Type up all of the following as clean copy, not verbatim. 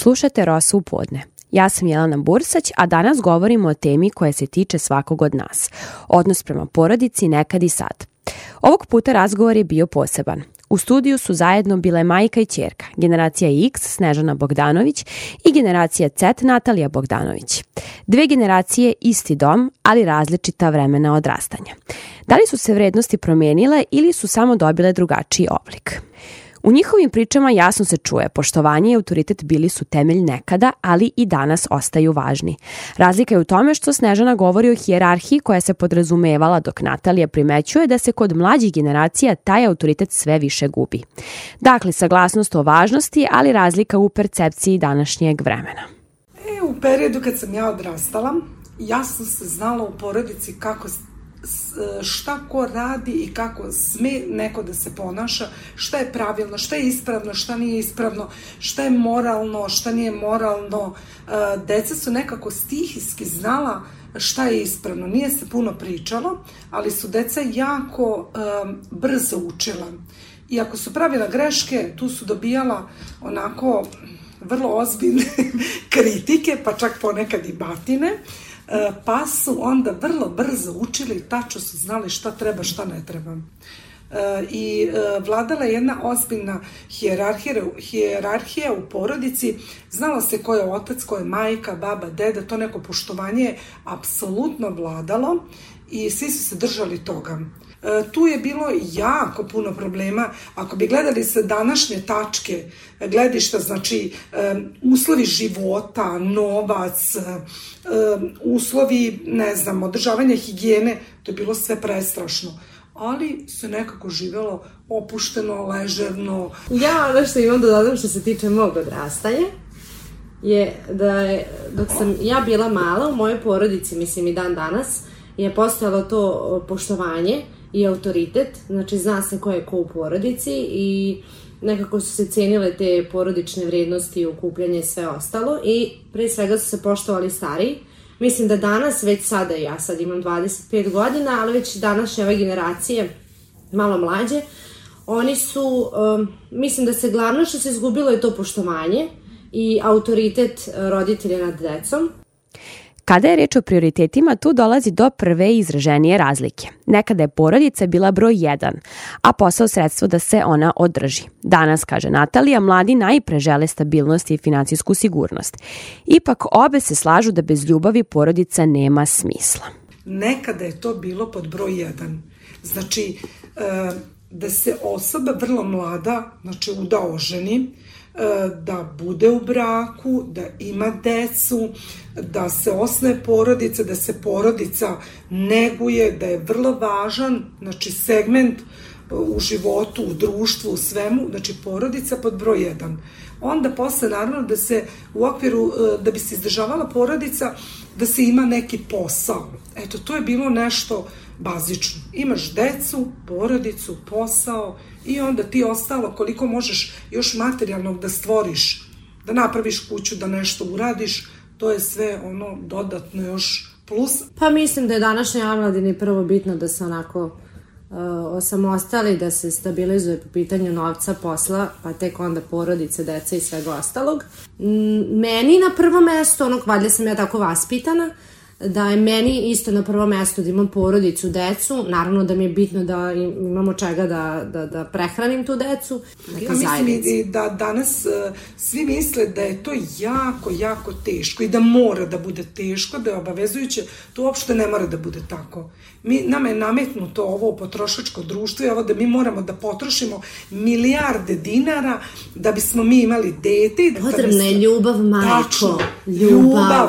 Slušate Rosa u podne. Ja sam Jelena Bursać, a danas govorimo o temi koja se tiče svakog od nas. Odnos prema porodici nekad i sad. Ovog puta razgovor je bio poseban. U studiju su zajedno bile majka i ćerka, generacija X Snežana Bogdanović i generacija Z Natalija Bogdanović. Dve generacije, isti dom, ali različita vremena odrastanja. Da li su se vrednosti promenile ili su samo dobile drugačiji oblik? U njihovim pričama jasno se čuje, poštovanje i autoritet bili su temelj nekada, ali i danas ostaju važni. Razlika je u tome što Snežana govori o hijerarhiji koja se podrazumevala, dok Natalija primećuje da se kod mlađih generacija taj autoritet sve više gubi. Dakle, saglasnost o važnosti, ali razlika u percepciji današnjeg vremena. U periodu kad sam ja odrastala, jasno se znalo u porodici šta ko radi i kako sme neko da se ponaša, šta je pravilno, šta je ispravno, šta nije ispravno, šta je moralno, šta nije moralno. Deca su nekako stihijski znala šta je ispravno. Nije se puno pričalo, ali su deca jako brzo učila. I ako su pravila greške, tu su dobijala onako vrlo ozbiljne kritike, pa čak ponekad i batine. Pa su onda vrlo brzo učili, tačno su znali šta treba, šta ne treba. I vladala je jedna ozbiljna hijerarhija u porodici, znalo se ko je otac, ko je majka, baba, deda, to neko poštovanje je apsolutno vladalo i svi su se držali toga. Tu je bilo jako puno problema. Ako bi gledali sa današnje tačke gledišta, znači uslovi života, novac, uslovi, održavanja higijene, to je bilo sve prestrašno. Ali se nekako živelo opušteno, ležerno. Ja ono što imam da dodam što se tiče mog odrastanja je da je, dok sam ja bila mala, u mojoj porodici, mislim i dan danas, je postojalo to poštovanje i autoritet, znači zna se ko je ko u porodici i nekako su se cenile te porodične vrednosti, okupljanje i sve ostalo i pre svega su se poštovali stariji. Mislim da danas, već sada, ja sad imam 25 godina, ali već današnje ove generacije, malo mlađe, oni su, mislim da se glavno što se izgubilo je to poštovanje i autoritet roditelja nad decom. Kada je reč o prioritetima, tu dolazi do prve izraženije razlike. Nekada je porodica bila broj 1, a posao sredstvo da se ona održi. Danas, kaže Natalija, mladi najpre žele stabilnost i finansijsku sigurnost. Ipak obe se slažu da bez ljubavi porodica nema smisla. Nekada je to bilo pod broj 1. Znači, da se osoba vrlo mlada, uda oženi, da bude u braku, da ima decu, da se osnuje porodica, da se porodica neguje, da je vrlo važan, segment u životu, u društvu, u svemu, porodica pod broj 1. Onda posle, naravno, da se u okviru, da bi se izdržavala porodica, da se ima neki posao. Eto, to je bilo nešto bazično. Imaš decu, porodicu, posao i onda ti ostalo koliko možeš još materijalnog da stvoriš, da napraviš kuću, da nešto uradiš, to je sve ono dodatno još plus. Pa mislim da je današnjoj omladini prvo bitno da se onako osamostali, da se stabilizuje po pitanju novca, posla, pa tek onda porodice, deca i svega ostalog. Meni na prvo mesto, valjda sam ja tako vaspitana, da je meni isto na prvo mesto da imam porodicu, decu, naravno da mi je bitno da imamo čega da prehranim tu decu. Mislim da danas svi misle da je to jako, jako teško i da mora da bude teško, da je obavezujuće, to uopšte ne mora da bude tako. Nama je nametnuto ovo potrošačko društvo i ovo da mi moramo da potrošimo milijarde dinara da bismo mi imali dete. Potrebna je ljubav, majko. Tačno, ljubav.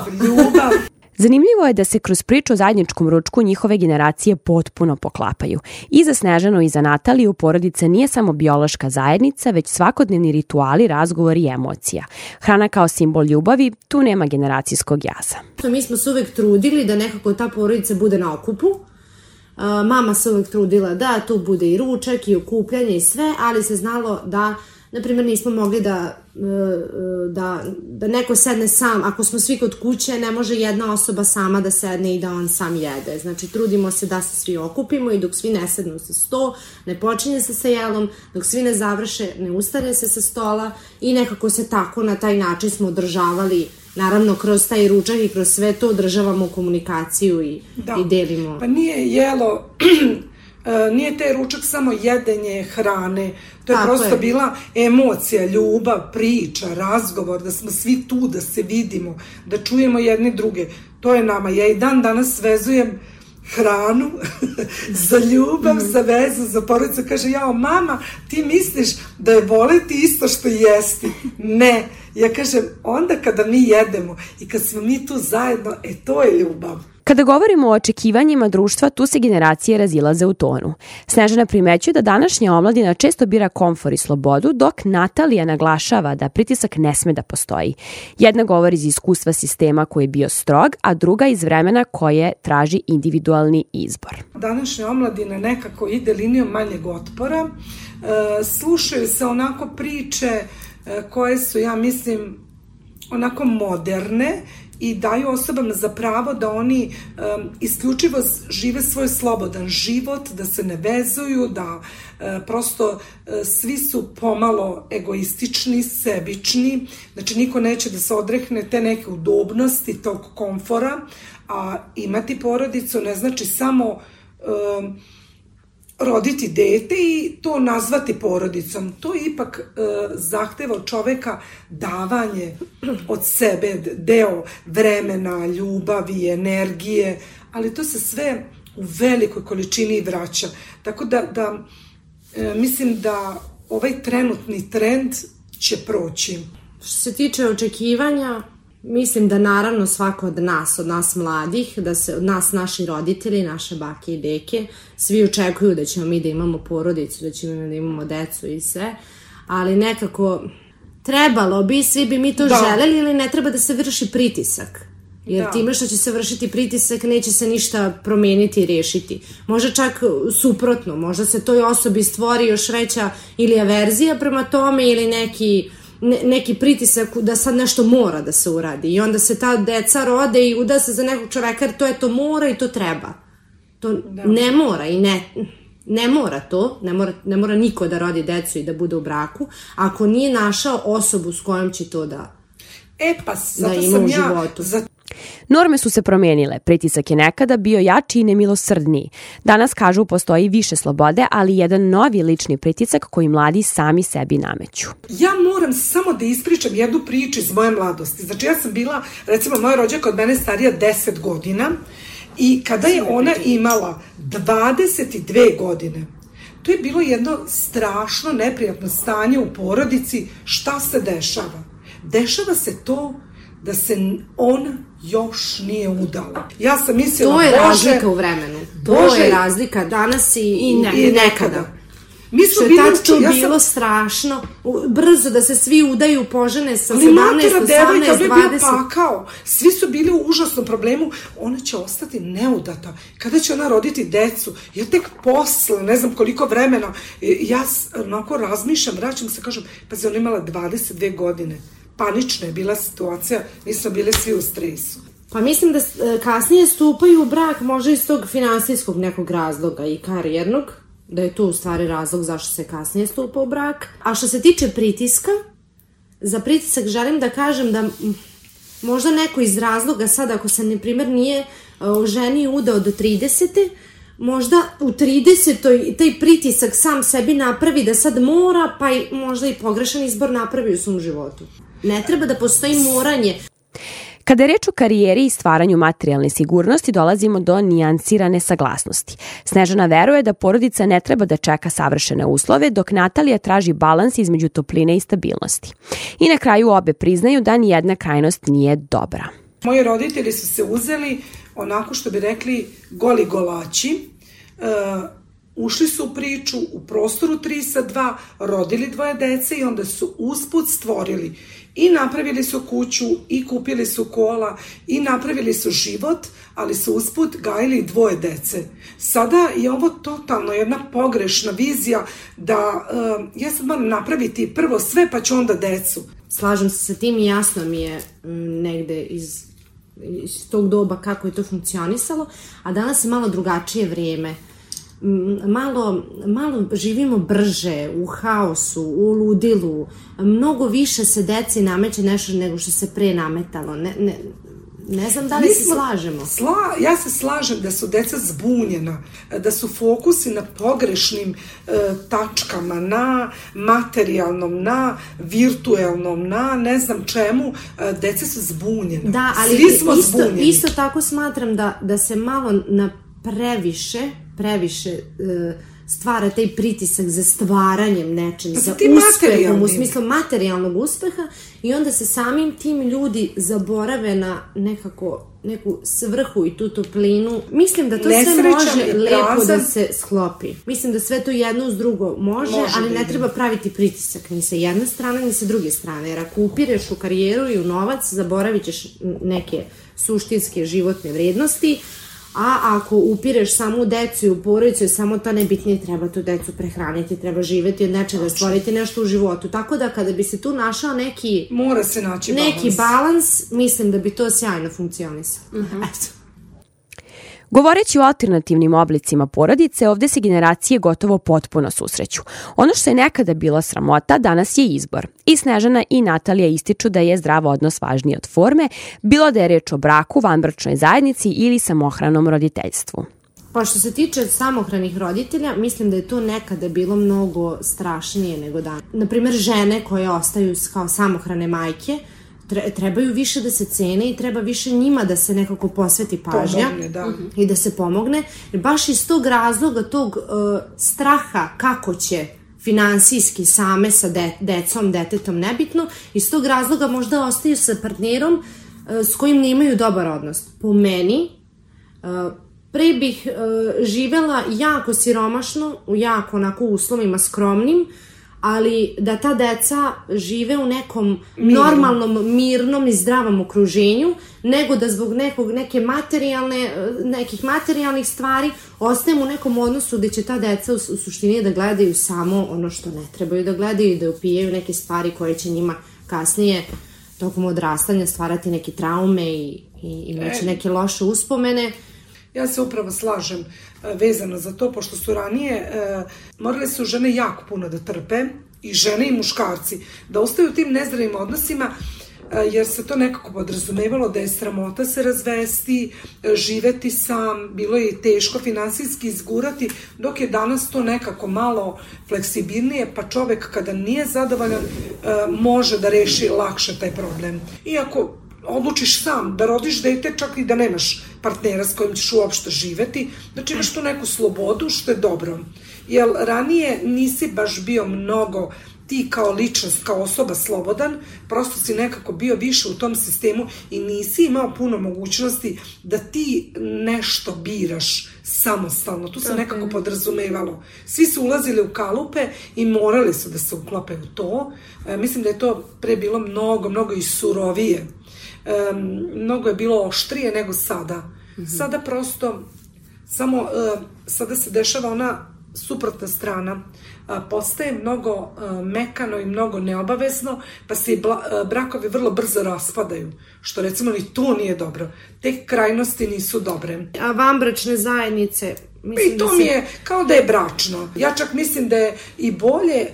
Zanimljivo je da se kroz priču o zajedničkom ručku njihove generacije potpuno poklapaju. I za Snežanu i za Nataliju porodica nije samo biološka zajednica, već svakodnevni rituali, razgovori i emocija. Hrana kao simbol ljubavi, tu nema generacijskog jaza. Mi smo se uvek trudili da nekako ta porodica bude na okupu. Mama se uvek trudila da tu bude i ručak i okupljanje i sve, ali se znalo da Naprimjer, nismo mogli da neko sedne sam, ako smo svi kod kuće, ne može jedna osoba sama da sedne i da on sam jede. Znači, trudimo se da se svi okupimo i dok svi ne sednu sa sto, ne počinje se sa jelom, dok svi ne završe, ne ustane se sa stola i nekako se tako na taj način smo održavali, naravno kroz taj ručak i kroz sve to održavamo komunikaciju i delimo. Pa nije jelo... Nije taj ručak samo jedenje hrane, to je prosto bila emocija, ljubav, priča, razgovor, da smo svi tu, da se vidimo, da čujemo jedni druge. To je nama. Ja i dan danas vezujem hranu za ljubav, za vezu, za porodicu. Kaže, jao mama, ti misliš da je voleti isto što jesti? Ne. Ja kažem, onda kada mi jedemo i kad smo mi tu zajedno, to je ljubav. Kada govorimo o očekivanjima društva, tu se generacije razilaze u tonu. Snežana primećuje da današnja omladina često bira komfor i slobodu, dok Natalija naglašava da pritisak ne sme da postoji. Jedna govori iz iskustva sistema koji je bio strog, a druga iz vremena koje traži individualni izbor. Današnja omladina nekako ide linijom manjeg otpora. Slušaju se onako priče koje su, ja mislim, onako moderne, i daju osobama za pravo da oni isključivo žive svoj slobodan život, da se ne vezuju, da prosto svi su pomalo egoistični, sebični, znači niko neće da se odrekne te neke udobnosti, tog komfora, a imati porodicu ne znači samo roditi dete i to nazvati porodicom. To ipak zahteva od čoveka davanje od sebe, deo vremena, ljubavi, energije, ali to se sve u velikoj količini vraća. Tako da mislim da ovaj trenutni trend će proći. Što se tiče očekivanja, mislim da naravno svako od nas mladih, da se od nas naši roditelji, naše bake i deke, svi očekuju da ćemo mi da imamo porodicu, da ćemo da imamo decu i sve, ali nekako trebalo bi, svi bi mi to želeli, ili ne treba da se vrši pritisak. Jer time što će se vršiti pritisak neće se ništa promeniti i rešiti. Možda čak suprotno, možda se toj osobi stvori još veća ili averzija prema tome ili neki pritisak da sad nešto mora da se uradi i onda se ta deca rode i uda se za nekog čoveka jer to mora i to treba. To ne mora i ne mora to, ne mora niko da rodi decu i da bude u braku ako nije našao osobu s kojom će to da ima u životu. Norme su se promenile, pritisak je nekada bio jači i nemilosrdniji. Danas, kažu, postoji više slobode, ali jedan novi lični pritisak koji mladi sami sebi nameću. Ja moram samo da ispričam jednu priču iz moje mladosti. Znači, ja sam bila, recimo, moja rođaka od mene starija 10 godina i kada je ona imala 22 godine, to je bilo jedno strašno neprijatno stanje u porodici. Šta se dešava? Dešava se to da se ona još nije udala. Ja sam mislila, to je razlika u vremenu. To je razlika danas i nekada. Što je tad to bilo strašno, brzo da se svi udaju, požene sa 17, 18, 20. Pakao. Svi su bili u užasnom problemu. Ona će ostati neudata. Kada će ona roditi decu? Ja tek posle, ne znam koliko vremena, ja onako razmišljam, vraćam se, kažem, pa ona imala 22 godine. Panična je bila situacija, mi smo bili svi u stresu. Pa mislim da kasnije stupaju u brak možda iz tog finansijskog nekog razloga i karijernog, da je to u stvari razlog zašto se kasnije stupa u brak. A što se tiče pritiska, za pritisak želim da kažem da možda neko iz razloga sad, ako se, na primjer, nije oženio udao do 30. možda u 30. taj pritisak sam sebi napravi da sad mora, pa i možda i pogrešan izbor napravi u svom životu. Ne treba da postoji moranje. Kada je reč o karijeri i stvaranju materijalne sigurnosti, dolazimo do nijansirane saglasnosti. Snežana veruje da porodica ne treba da čeka savršene uslove, dok Natalija traži balans između topline i stabilnosti. I na kraju obe priznaju da nijedna krajnost nije dobra. Moji roditelji su se uzeli onako što bi rekli goli golači. ušli su u priču u prostoru 3+2, rodili 2 dece i onda su usput stvorili i napravili su kuću i kupili su kola i napravili su život, ali su usput gajili 2 dece. Sada je ovo totalno jedna pogrešna vizija da ja sad moram napraviti prvo sve pa ću onda decu. Slažem se sa tim i jasno mi je negde iz tog doba kako je to funkcionisalo, a danas je malo drugačije vrijeme. Malo živimo brže, u haosu, u ludilu, mnogo više se deci nameće nešto nego što se pre nametalo. Ne znam da li se slažemo. Ja se slažem da su deca zbunjena, da su fokusi na pogrešnim tačkama, na materijalnom, na virtuelnom, na ne znam čemu, deca su zbunjena. Da, ali svi smo zbunjeni. Isto tako smatram da se malo na previše stvara taj pritisak za stvaranjem nečim, za uspehom, u smislu materijalnog uspeha, i onda se samim tim ljudi zaborave na neku svrhu i tu toplinu. Mislim da to sve može lepo da se sklopi. Mislim da sve to jedno uz drugo može, ali ne treba praviti pritisak ni sa jedne strane ni sa druge strane, jer ako upireš u karijeru i u novac, zaboravit ćeš neke suštinske životne vrednosti. A ako upireš samo u decu i u porodicu, samo to nebitnije, treba tu decu prehraniti, treba živeti od nečega, stvoriti nešto u životu. Tako da kada bi se tu našao neki balans, mislim da bi to sjajno funkcionisalo. Eto. Govoreći o alternativnim oblicima porodice, ovde se generacije gotovo potpuno susreću. Ono što je nekada bila sramota, danas je izbor. I Snežana i Natalija ističu da je zdrav odnos važniji od forme, bilo da je reč o braku, vanbračnoj zajednici ili samohranom roditeljstvu. Pa što se tiče samohranih roditelja, mislim da je to nekada bilo mnogo strašnije nego danas. Naprimer, žene koje ostaju kao samohrane majke, trebaju više da se cene i treba više njima da se nekako posveti pažnja i da se pomogne. Jer baš iz tog razloga, tog straha kako će finansijski same sa decom, detetom, nebitno, iz tog razloga možda ostaju sa partnerom s kojim nemaju dobar odnos. Po meni, pre bih živela jako siromašno, u jako onako uslovima skromnim, ali da ta deca žive u nekom normalnom, mirnom i zdravom okruženju, nego da zbog nekih materijalnih stvari ostajemo u nekom odnosu gde će ta deca u suštini da gledaju samo ono što ne trebaju da gledaju i da upijaju neke stvari koje će njima kasnije tokom odrastanja stvarati neke traume i imaće neke loše uspomene. Ja se upravo slažem vezano za to, pošto su ranije morale su žene jako puno da trpe, i žene i muškarci, da ostaju u tim nezdravim odnosima, jer se to nekako podrazumevalo da je sramota se razvesti, živeti sam, bilo je teško finansijski izgurati, dok je danas to nekako malo fleksibilnije, pa čovek kada nije zadovoljan može da reši lakše taj problem. Iako odlučiš sam da rodiš dete, čak i da nemaš partnera s kojim ćeš uopšte živeti, znači imaš tu neku slobodu, što je dobro. Jer ranije nisi baš bio mnogo ti kao ličnost, kao osoba slobodan, prosto si nekako bio više u tom sistemu i nisi imao puno mogućnosti da ti nešto biraš samostalno. Tu se nekako podrazumevalo. Svi su ulazili u kalupe i morali su da se uklope u to. Mislim da je to pre bilo mnogo i surovije. Mnogo je bilo oštrije nego sada. Sada prosto sada se dešava ona suprotna strana, postaje mnogo mekano i mnogo neobavezno, pa se i brakovi vrlo brzo raspadaju, što recimo ni to nije dobro. Te krajnosti nisu dobre. A vanbračne zajednice? I to mi je kao da je bračno. Ja čak mislim da je i bolje,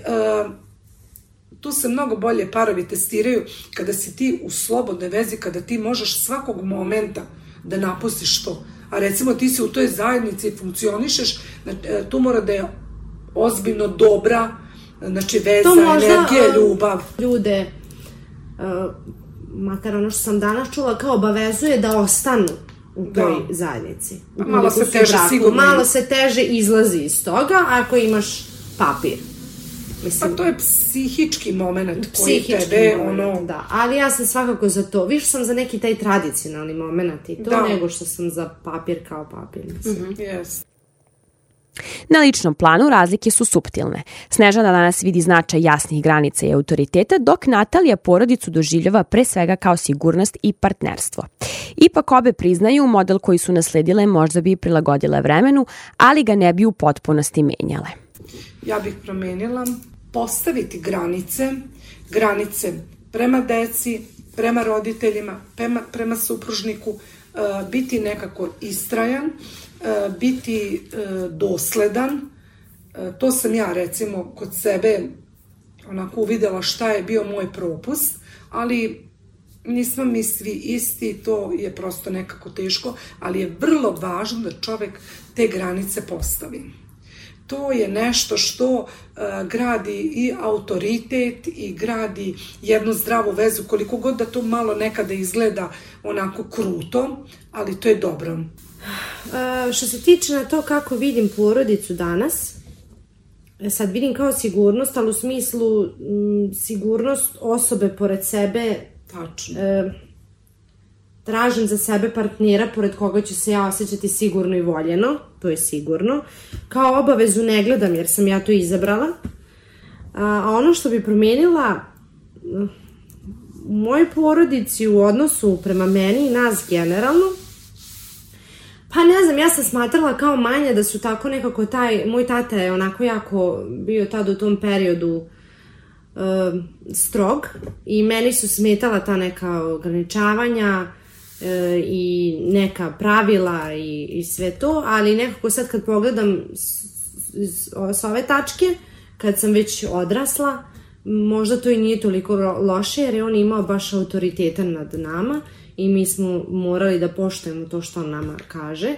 tu se mnogo bolje parovi testiraju kada si ti u slobodnoj vezi, kada ti možeš svakog momenta da napustiš to. A recimo ti si u toj zajednici i funkcionišeš, tu mora da je ozbiljno dobra, znači veza, energija, ljubav. Ljude, makar ono što sam danas čula, kao obavezuje da ostanu u toj zajednici. Malo se teže izlazi iz toga ako imaš papir. Pa to je psihički moment koji tebe, da, ali ja sam svakako za to, više sam za neki taj tradicionalni moment i to, nego što sam za papir kao papir, mislim. Na ličnom planu razlike su suptilne. Snežana danas vidi značaj jasnih granica i autoriteta, dok Natalija porodicu doživljava pre svega kao sigurnost i partnerstvo. Ipak obe priznaju model koji su nasledile možda bi prilagodile vremenu, ali ga ne bi u potpunosti menjale. Ja bih promenila postaviti granice prema deci, prema roditeljima, prema supružniku, biti nekako istrajan, biti dosledan. To sam ja recimo kod sebe onako uvidela šta je bio moj propust, ali nismo mi svi isti, to je prosto nekako teško, ali je vrlo važno da čovek te granice postavi. To je nešto što gradi i autoritet i gradi jednu zdravu vezu, koliko god da to malo nekada izgleda onako kruto, ali to je dobro. Što se tiče na to kako vidim porodicu danas, sad vidim kao sigurnost, ali u smislu sigurnost osobe pored sebe. Tačno. Tražim za sebe partnera pored koga ću se ja osjećati sigurno i voljeno, to je sigurno. Kao obavezu ne gledam jer sam ja to izabrala. A ono što bi promenila u mojoj porodici u odnosu prema meni i nas generalno, pa ne znam, ja sam smatrala kao manja da su tako nekako moj tata je onako jako bio tad u tom periodu strog i meni su smetala ta neka ograničavanja i neka pravila i sve to, ali nekako sad kad pogledam s ove tačke, kad sam već odrasla, možda to i nije toliko loše jer je on imao baš autoritetan nad nama i mi smo morali da poštujemo to što on nama kaže,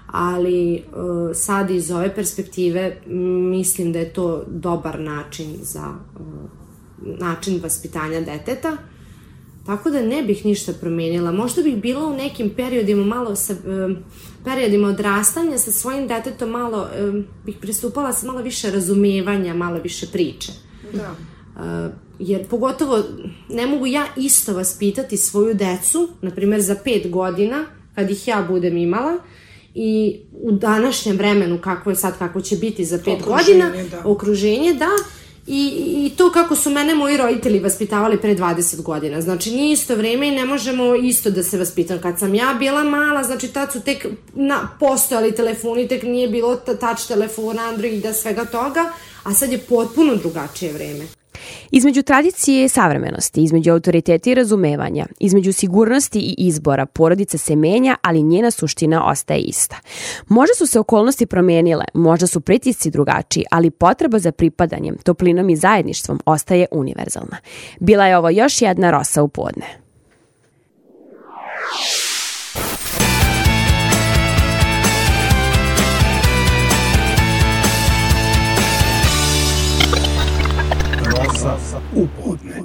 ali sad iz ove perspektive mislim da je to dobar način za način vaspitanja deteta, tako da ne bih ništa promenila. Možda bih bila u nekim periodima periodima odrastanja sa svojim detetom malo bih pristupala sa malo više razumevanja, malo više priče. Da. Jer pogotovo ne mogu ja isto vaspitati svoju decu, na primjer za 5 godina, kad ih ja budem imala, i u današnjem vremenu kako će biti za 5 godina, okruženje, da, i to kako su mene moji roditelji vaspitavali pre 20 godina. Znači, nije isto vreme i ne možemo isto da se vaspitamo. Kad sam ja bila mala, znači tad su tek postojali telefoni, tek nije bilo touch telefona, Androida, svega toga, a sad je potpuno drugačije vreme. Između tradicije i savremenosti, između autoriteta i razumevanja, između sigurnosti i izbora, porodica se menja, ali njena suština ostaje ista. Možda su se okolnosti promijenile, možda su pritisci drugačiji, ali potreba za pripadanjem, toplinom i zajedništvom ostaje univerzalna. Bila je ovo još jedna Rosa u podne. Rosa u podne.